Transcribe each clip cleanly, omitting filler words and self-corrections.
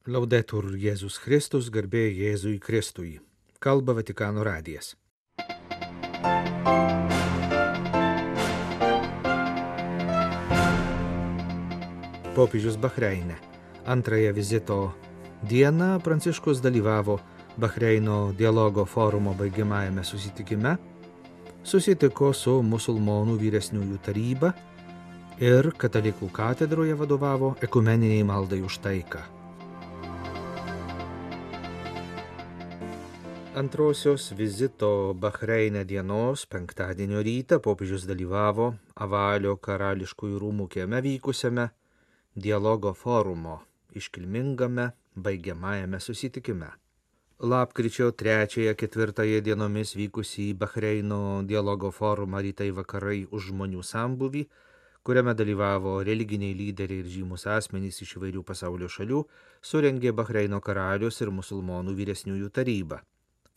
Laudetur Jėzus Kristus, garbė Jėzui Kristui. Kalba Vatikano radijas. Popiežius Bahreine. Antrąją vizito dieną Pranciškus dalyvavo Bahreino dialogo forumo baigiamajame susitikime, susitiko su musulmonų vyresniųjų taryba ir katalikų katedroje vadovavo ekumeniniai maldai už taiką. Antrosios vizito Bahreine dienos penktadienio rytą popiežius dalyvavo Avalio karališkųjų rūmų kieme vykusiame dialogo forumo iškilmingame baigiamajame susitikime. Lapkričio 3-4 dienomis vykusį Bahreino dialogo forumą rytai vakarai už žmonių sambūvį, kuriame dalyvavo religiniai lyderiai ir žymus asmenys iš įvairių pasaulio šalių, surengė Bahreino karalius ir musulmonų vyresniųjų taryba.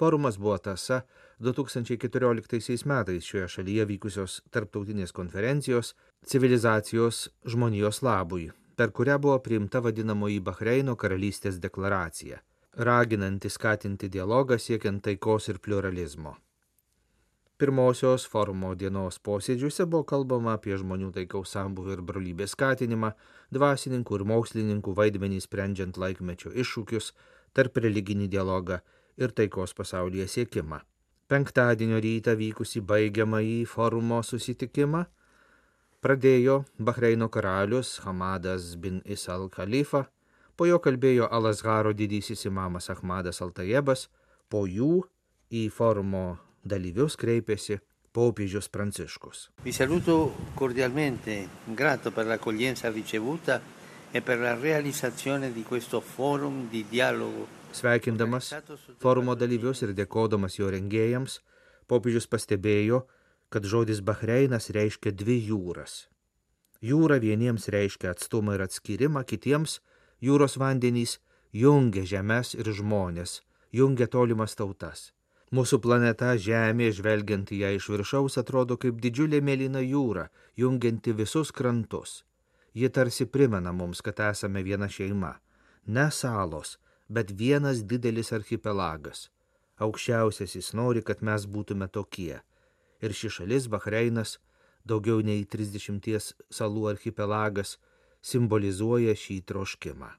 Forumas buvo tąsa 2014 metais šioje šalyje vykusios tarptautinės konferencijos Civilizacijos žmonijos labui, per kurią buvo priimta vadinamoji Bahreino karalystės deklaracija, raginanti skatinti dialogą siekiant taikos ir pliuralizmo. Pirmosios forumo dienos posėdžiuose buvo kalbama apie žmonių taikaus sambūvio ir brolybės skatinimą, dvasininkų ir mokslininkų vaidmenį sprendžiant laikmečio iššūkius, tarp religinį dialogą ir taikos pasaulyje siekimą. Penktadienio rytą vykusį baigiamąjį forumo susitikimą pradėjo Bahreino karalius Hamadas bin Isa al-Khalifa, po jo kalbėjo Al-Azharo didysis imamas Ahmadas al-Tajebas, po jų į forumo dalyvius kreipėsi popiežius Pranciškus. Vi saluto cordialmente, grato per l'accoglienza ricevuta e per la realizzazione di questo forum di dialogo. Sveikindamas forumo dalyvius ir dėkodamas jo rengėjams, popiežius pastebėjo, kad žodis Bahreinas reiškia dvi jūras. Jūra vieniems reiškia atstumą ir atskyrimą, kitiems jūros vandenys jungia žemes ir žmonės, jungia tolimas tautas. Mūsų planeta Žemė, žvelgiant į ją iš viršaus, atrodo kaip didžiulė mėlyna jūra, jungianti visus krantus. Ji tarsi primena mums, kad esame viena šeima, ne salos, bet vienas didelis archipelagas. Aukščiausiasis nori, kad mes būtume tokie. Ir ši šalis, Bahreinas, daugiau nei 30 salų archipelagas, simbolizuoja šį troškimą.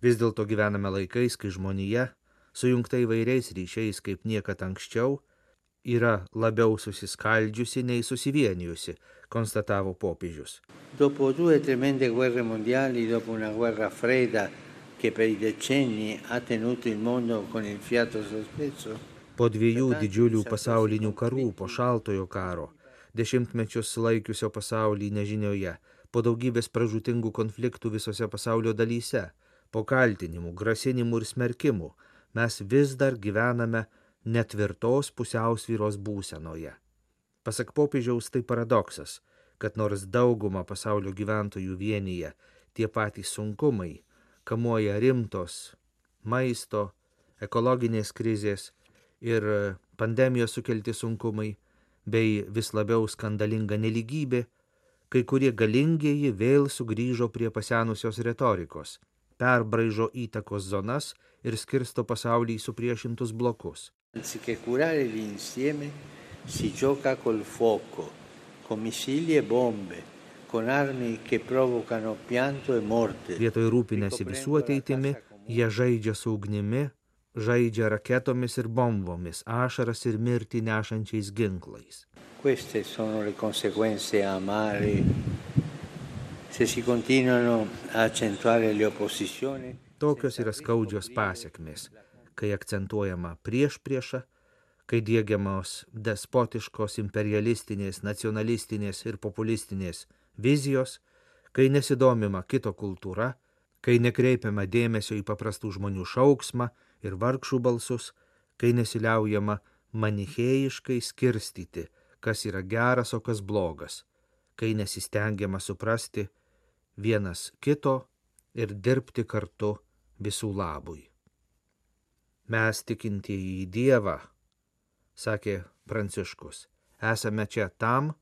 Vis dėlto gyvename laikais, kai žmonija, sujungta įvairiais ryšiais kaip niekad anksčiau, yra labiau susiskaldžiusi nei susivienijusi, konstatavo popiežius. Dopo due tremende guerre mondiali, dopo una guerra fredda che per i decenni ha tenuto il mondo con il fiato sospeso. Po dviejų didžiulių pasaulinių karų, po šaltojo karo, dešimtmečius laikiusio pasaulį nežinioje, po daugybės pražūtingų konfliktų visose pasaulio dalyse, po kaltinimų, grasinimų ir smerkimų, mes vis dar gyvename netvirtos pusiausvyros būsenoje. Pasak popiežiaus, tai paradoksas, kad nors daugumą pasaulio gyventojų vienyje tie patys sunkumai, kamuoja rimtos maisto, ekologinės krizės ir pandemijos sukelti sunkumai, bei vis labiau skandalinga nelygybė, kai kurie galingieji vėl sugrįžo prie pasenusios retorikos, perbraižo įtakos zonas ir skirsto pasaulį į supriešintus blokus. Anziché curare l'insieme, si gioca col fuoco, con missili e bombe, con armi che provocano pianto e morte. Vietoj rūpinasi visų ateitimi, jie žaidžia su ugnimi, žaidžia raketomis ir bombomis, ašaras ir mirtį nešančiais ginklais. Queste sono le conseguenze amare se si continuano a accentuare le opposizioni. Tokios yra skaudžios pasekmės, kai akcentuojama priešprieša, kai diegiamos despotiškos, imperialistinės, nacionalistinės ir populistinės vizijos, kai nesidomima kito kultūra, kai nekreipiama dėmesio į paprastų žmonių šauksmą ir vargšų balsus, kai nesiliaujama manichėjiškai skirstyti, kas yra geras, o kas blogas, kai nesistengiama suprasti vienas kito ir dirbti kartu visų labui. Mes tikintieji į Dievą, sakė Pranciškus, esame čia tam,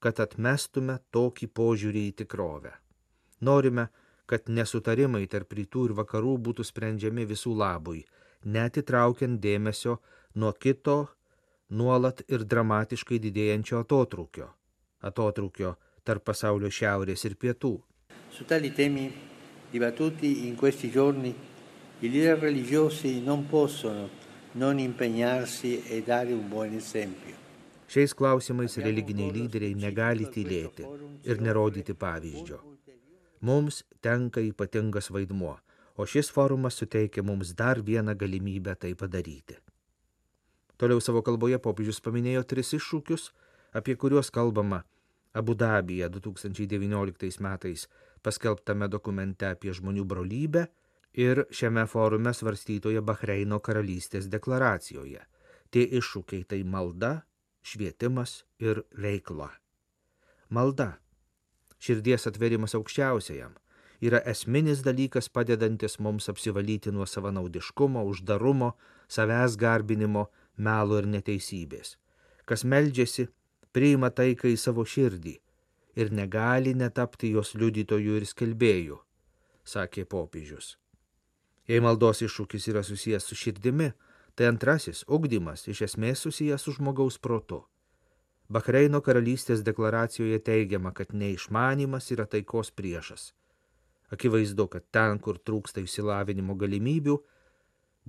kad atmestume tokį požiūrį į tikrovę. Norime, kad nesutarimai tarp rytų ir vakarų būtų sprendžiami visų labui, netitraukiant dėmesio nuo kito nuolat ir dramatiškai didėjančio atotrūkio tarp pasaulio šiaurės ir pietų. Su tali temi dibattuti in questi giorni, i leader religiosi non possono non impegnarsi e dare un buon esempio. Šiais klausimais religiniai lyderiai negali tylėti ir nerodyti pavyzdžio. Mums tenka ypatingas vaidmuo, o šis forumas suteikia mums dar vieną galimybę tai padaryti. Toliau savo kalboje popiežius paminėjo 3 iššūkius, apie kuriuos kalbama Abu Dabyje 2019 metais paskelbtame dokumente apie žmonių brolybę ir šiame forume svarstytoje Bahreino karalystės deklaracijoje. Tie iššūkiai tai malda, švietimas ir veikla. Malda, širdies atverimas aukščiausiajam, yra esminis dalykas padedantis mums apsivalyti nuo savanaudiškumo, uždarumo, savęs garbinimo, melo ir neteisybės. Kas meldžiasi, priima taiką į savo širdį ir negali netapti jos liudytojų ir skelbėjų, sakė popiežius. Jei maldos iššūkis yra susijęs su širdimi, tai antrasis ugdymas iš esmės susijęs su žmogaus protu. Bahreino karalystės deklaracijoje teigiama, kad neišmanymas yra taikos priešas. Akivaizdu, kad ten, kur trūksta išsilavinimo galimybių,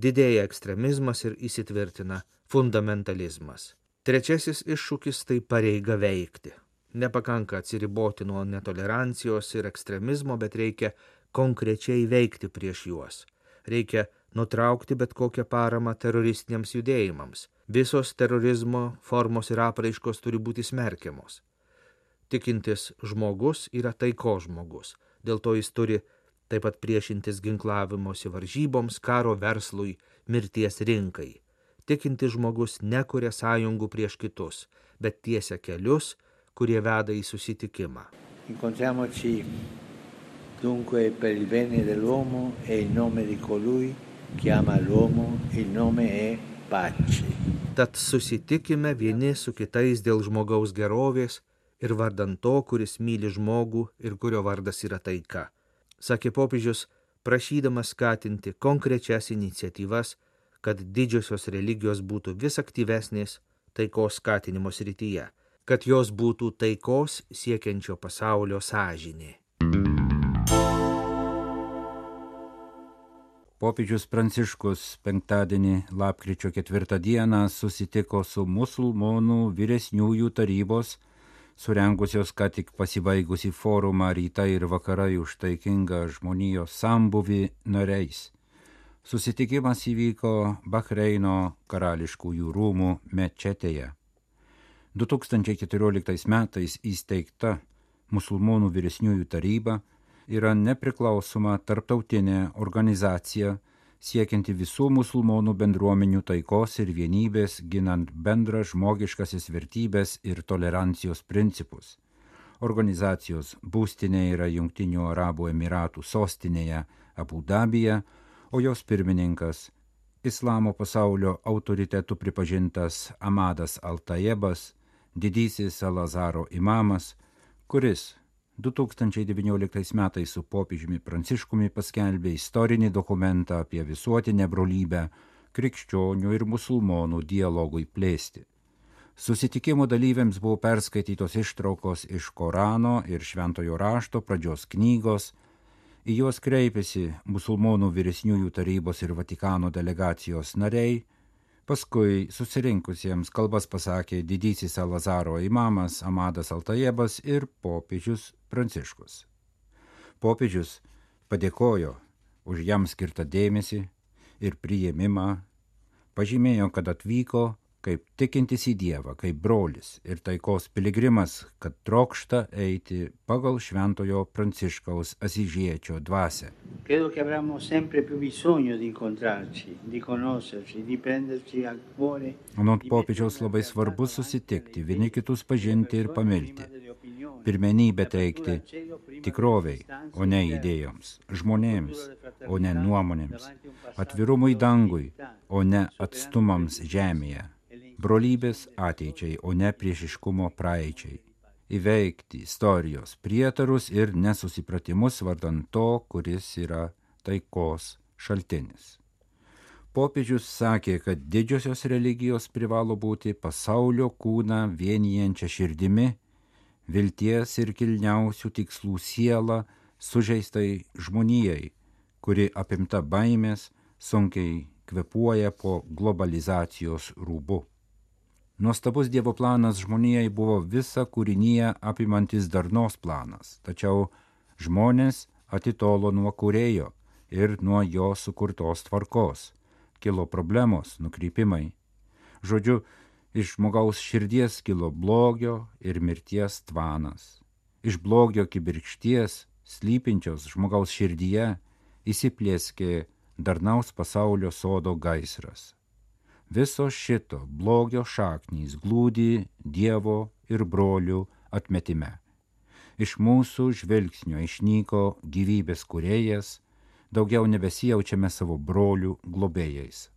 didėja ekstremizmas ir įsitvirtina fundamentalizmas. Trečiasis iššūkis tai pareiga veikti. Nepakanka atsiriboti nuo netolerancijos ir ekstremizmo, bet reikia konkrečiai veikti prieš juos. Reikia nutraukti bet kokią paramą teroristiniams judėjimams. Visos terorizmo formos ir apraiškos turi būti smerkiamos. Tikintis žmogus yra taikos žmogus. Dėl to jis turi taip pat priešintis ginklavimosi varžyboms, karo verslui, mirties rinkai. Tikintis žmogus nekuria sąjungų prieš kitus, bet tiesia kelius, kurie veda į susitikimą. Incontriamoci dunque per il bene dell'uomo e in nome di colui che ama l'uomo, il nome è pace. Tad susitikime vieni su kitais dėl žmogaus gerovės ir vardan to, kuris myli žmogų ir kurio vardas yra taika, sakė popiežius, prašydamas skatinti konkrečias iniciatyvas, kad didžiosios religijos būtų vis aktyvesnės taikos skatinimo srityje, kad jos būtų taikos siekiančio pasaulio sąžinė. Popiežius Pranciškus penktadienį lapkričio 4 dieną susitiko su musulmonų vyresniųjų tarybos, surengusios ką tik pasibaigusi forumą Rytai ir vakarai už taikingą žmonijos sambuvį nariais. Susitikimas įvyko Bahreino karališkųjų rūmų mečetėje. 2014 metais įsteigta musulmonų vyresniųjų taryba yra nepriklausoma tarptautinė organizacija siekianti visų musulmonų bendruomenių taikos ir vienybės, ginant bendrą žmogiškasis vertybės ir tolerancijos principus. Organizacijos būstinė yra Jungtinių Arabų Emiratų sostinėje Abu Dabyje, o jos pirmininkas, islamo pasaulio autoritetų pripažintas Amadas Al-Tayebas, didysis Al-Azharo imamas, kuris 2019 metais su popiežiumi Pranciškumi paskelbė istorinį dokumentą apie visuotinę brolybę krikščionių ir musulmonų dialogui plėsti. Susitikimo dalyviams buvo perskaitytos ištraukos iš Korano ir Šventojo rašto pradžios knygos, į juos kreipėsi musulmonų vyresniųjų tarybos ir Vatikano delegacijos nariai, paskui susirinkusiems kalbas pasakė didysis Al-Azharo imamas Amadas Al-Tayebas ir popiežius Pranciškus. Popiežius padėkojo už jam skirtą dėmesį ir priėmimą, pažymėjo, kad atvyko kaip tikintis į Dievą, kaip brolis ir taikos piligrimas, kad trokšta eiti pagal Šventojo Pranciškaus Asyžiečio dvasią. Credo che avremo sempre più bisogno di incontrarci, di conoscerci, di prenderci a cuore. Anot popiežiaus labai svarbu susitikti, vieni kitus pažinti ir pamilti. Pirmenybę teikti tikroviai, o ne idėjoms, žmonėms, o ne nuomonėms, atvirumui dangui, o ne atstumams žemėje, brolybės ateičiai, o ne priešiškumo praeičiai. įveikti istorijos prietarus ir nesusipratimus vardan to, kuris yra taikos šaltinis. Popiežius sakė, kad didžiosios religijos privalo būti pasaulio kūną vienijančia širdimi, vilties ir kilniausių tikslų siela sužeistai žmonijai, kuri apimta baimės sunkiai kvėpuoja po globalizacijos rūbu. Nuostabus Dievo planas žmonijai buvo visa kūrinyje apimantis darnos planas, tačiau žmonės atitolo nuo kūrėjo ir nuo jo sukurtos tvarkos. Kilo problemos, nukrypimai. Žodžiu, iš žmogaus širdies kilo blogio ir mirties tvanas. Iš blogio kibirkšties, slypinčios žmogaus širdyje, įsiplieskė darnaus pasaulio sodo gaisras. Viso šito blogio šaknys glūdi Dievo ir brolių atmetime. Iš mūsų žvilgsnio išnyko gyvybės kūrėjas, daugiau nebesijaučiame savo brolių globėjais.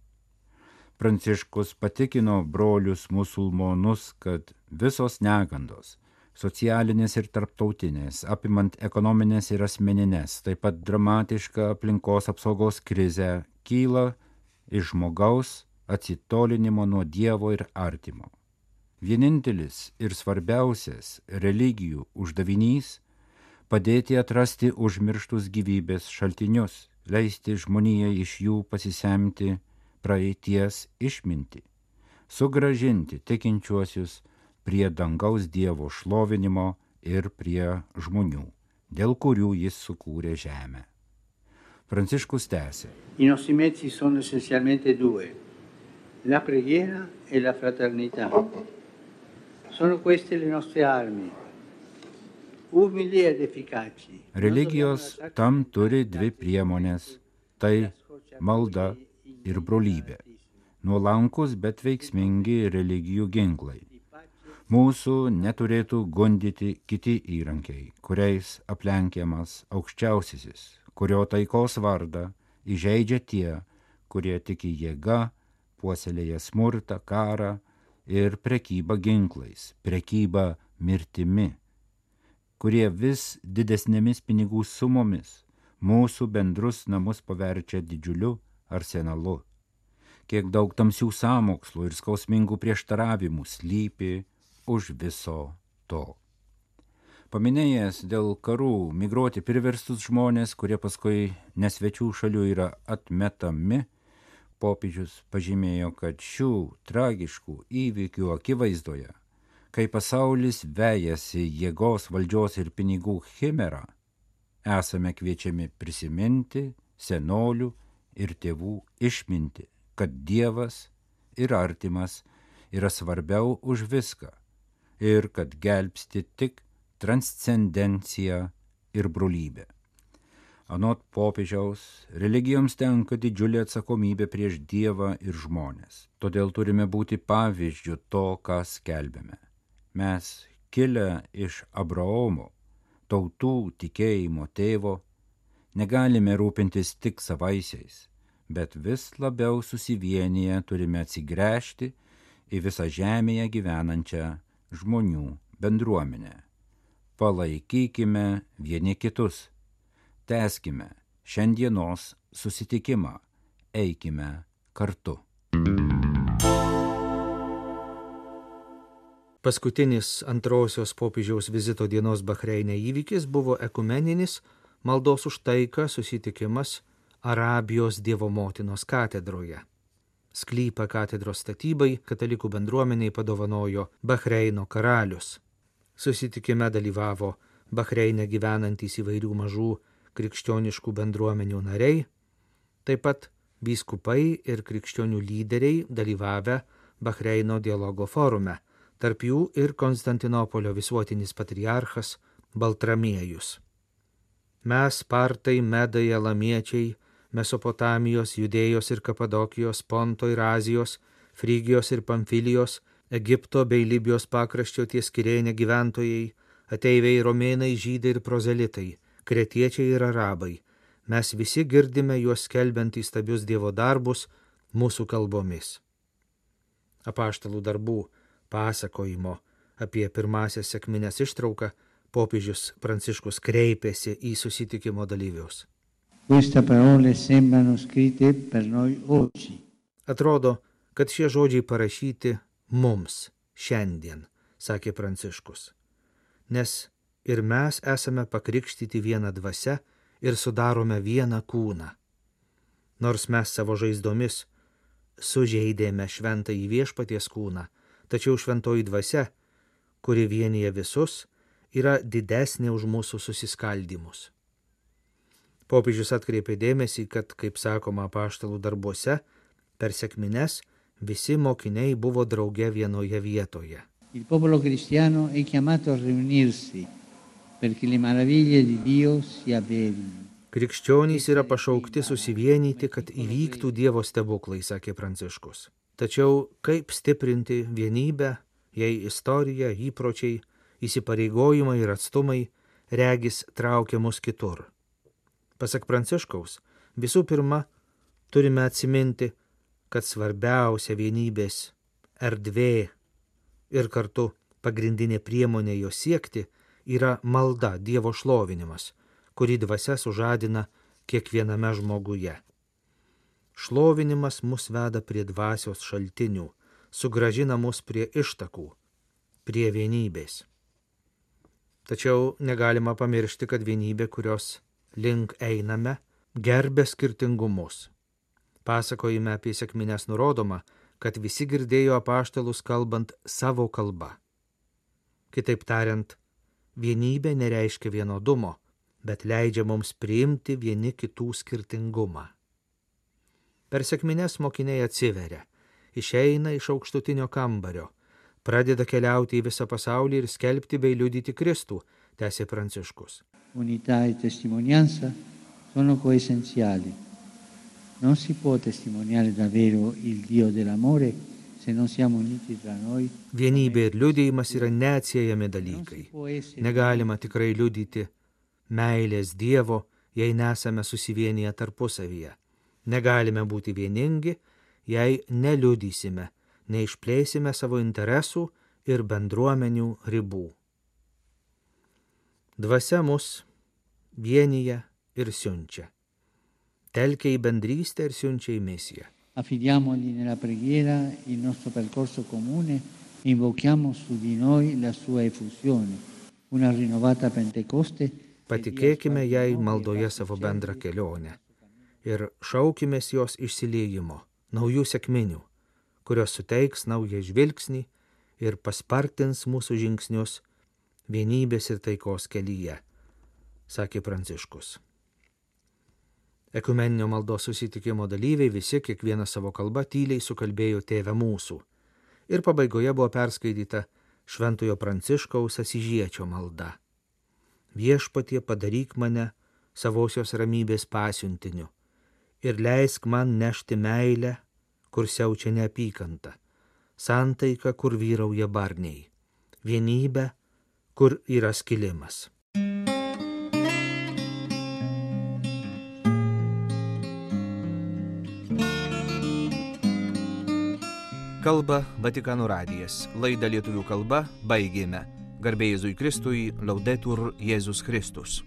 Pranciškus patikino brolius musulmonus, kad visos negandos, socialinės ir tarptautinės, apimant ekonominės ir asmeninės, taip pat dramatiška aplinkos apsaugos krizė, kyla iš žmogaus atsitolinimo nuo Dievo ir artimo. Vienintelis ir svarbiausias religijų uždavinys – padėti atrasti užmirštus gyvybės šaltinius, leisti žmonijai iš jų pasisemti praeities išmintį, sugrąžinti tikinčiuosius prie dangaus Dievo šlovinimo ir prie žmonių, dėl kurių jis sukūrė žemę. Pranciškus tęsė. I nostri mezzi sono essenzialmente due, la preghiera e la fraternità. Sono queste le nostre armi, umili ed efficaci. Religijos tam turi dvi priemonės – tai malda ir brolybė. Nuolankus, bet veiksmingi religijų ginklai. Mūsų neturėtų gundyti kiti įrankiai, kuriais aplenkiamas aukščiausiasis, kurio taikos vardą įžeidžia tie, kurie tiki jėga, puoselėja smurtą, karą ir prekybą ginklais, prekybą mirtimi, kurie vis didesnėmis pinigų sumomis mūsų bendrus namus paverčia didžiuliu arsenalu. Kiek daug tamsių sąmokslų ir skausmingų prieštaravimų slypi už viso to. Paminėjęs dėl karų migruoti priverstus žmonės, kurie paskui nesvečių šalių yra atmetami, popiežius pažymėjo, kad šių tragiškų įvykių akivaizdoje, kai pasaulis vejasi jėgos, valdžios ir pinigų chimerą, esame kviečiami prisiminti senolių ir tėvų išmintį, kad Dievas ir artimas yra svarbiau už viską ir kad gelbsti tik transcendencija ir brolybė. Anot popiežiaus, religijoms tenka didžiulė atsakomybė prieš Dievą ir žmones. Todėl turime būti pavyzdžiu to, ką skelbėme. Mes, kilę iš Abraomo, tautų tikėjimo tėvo, negalime rūpintis tik savaisiais, bet vis labiau susivienyje turime atsigręžti į visą žemėje gyvenančią žmonių bendruomenę. Palaikykime vieni kitus, tęskime šiandienos susitikimą, eikime kartu. Paskutinis antrosios popiežiaus vizito dienos Bahreine įvykis buvo ekumeninis maldos už taiką susitikimas Arabijos Dievo motinos katedroje. Sklypą katedros statybai katalikų bendruomeniai padovanojo Bahreino karalius. Susitikime dalyvavo Bahreine gyvenantys įvairių mažų krikščioniškų bendruomenių nariai, taip pat vyskupai ir krikščionių lyderiai dalyvavę Bahreino dialogo forume, tarp jų ir Konstantinopolio visuotinis patriarchas Baltramiejus. Mes, partai, medai, elamiečiai, Mesopotamijos, Judėjos ir Kapadokijos, Ponto ir Azijos, Frygijos ir Pamfilijos, Egipto bei Libijos pakraščio ties Kirėne gyventojai, ateiviai romėnai, žydai ir prozelitai, kretiečiai ir arabai, mes visi girdime juos skelbiant įstabius Dievo darbus mūsų kalbomis. Apaštalų darbų pasakojimo Apie pirmąsias sekmines ištrauką popiežius Pranciškus kreipėsi į susitikimo dalyvius. Queste parole sembrano scritte per noi oggi. Atrodo, kad šie žodžiai parašyti mums šiandien, sakė Pranciškus. Nes ir mes esame pakrikštyti vieną dvasią ir sudarome vieną kūną. Nors mes savo žaizdomis sužeidėme šventąjį viešpaties kūną, tačiau šventoji dvasia, kuri vienyje visus, yra didesnė už mūsų susiskaldymus. Popiežius atkreipė dėmesį, kad, kaip sakoma apaštalų darbuose, per sekmines visi mokiniai buvo drauge vienoje vietoje. Il popolo cristiano è chiamato a riunirsi perché le meraviglie di Dio si avverino. Krikščionys yra pašaukti susivienyti, kad įvyktų Dievo stebuklai, sakė Pranciškus. Tačiau kaip stiprinti vienybę, jei istorija, įpročiai, įsipareigojimai ir atstumai regis traukia mus kitur. Pasak Pranciškaus, visų pirma, turime atsiminti, kad svarbiausia vienybės erdvė ir kartu pagrindinė priemonė jo siekti yra malda, Dievo šlovinimas, kurį dvasia sužadina kiekviename žmoguje. Šlovinimas mus veda prie dvasios šaltinių, sugrąžina mus prie ištakų, prie vienybės. Tačiau negalima pamiršti, kad vienybė, kurios link einame, gerbia skirtingumus. Pasakojime apie sekmines nurodoma, kad visi girdėjo apaštalus kalbant savo kalba. Kitaip tariant, vienybė nereiškia vienodumo, bet leidžia mums priimti vieni kitų skirtingumą. Per sekmines mokiniai atsiveria, išeina iš aukštutinio kambario, pradeda keliauti į visą pasaulį ir skelbti bei liudyti Kristų, tęsė Pranciškus. Unità e testimonianza sono coessenziali. Non si può testimoniare davvero il Dio dell'amore se non siamo uniti tra noi. Vienybė ir liudijimas yra neatsiejami dalykai. Negalima tikrai liudyti meilės Dievo, jei nesame susivienyje tarpusavyje. Negalime būti vieningi, jei neliudysime, neišplėsime savo interesų ir bendruomenių ribų. Dvasia mus vienyje ir siunčia. Telkia į bendrystę ir siunčia į misiją. Affidiamogli nella preghiera il nostro percorso comune e invochiamo su di noi la sua effusione, una rinnovata Pentecoste. Patikėkime jai maldoje savo bendrą kelionę ir šaukimės jos išsiliejimo, naujų sekminių, kurios suteiks naują žvilgsnį ir paspartins mūsų žingsnius vienybės ir taikos kelyje, sakė Pranciškus. Ekumeninio maldos susitikimo dalyviai visi kiekvieną savo kalbą tyliai sukalbėjo Tėve mūsų ir pabaigoje buvo perskaityta Šventojo Pranciškaus Asyžiečio malda. Viešpatie, padaryk mane savosios ramybės pasiuntiniu ir leisk man nešti meilę, kur siaučia neapykanta, santaiką, kur vyrauja barniai, vienybę, kur yra skilimas. Kalba Vatikano radijas. Laidą lietuvių kalba baigėme. Garbė Jėzui Kristui, Laudetur Jėzus Kristus.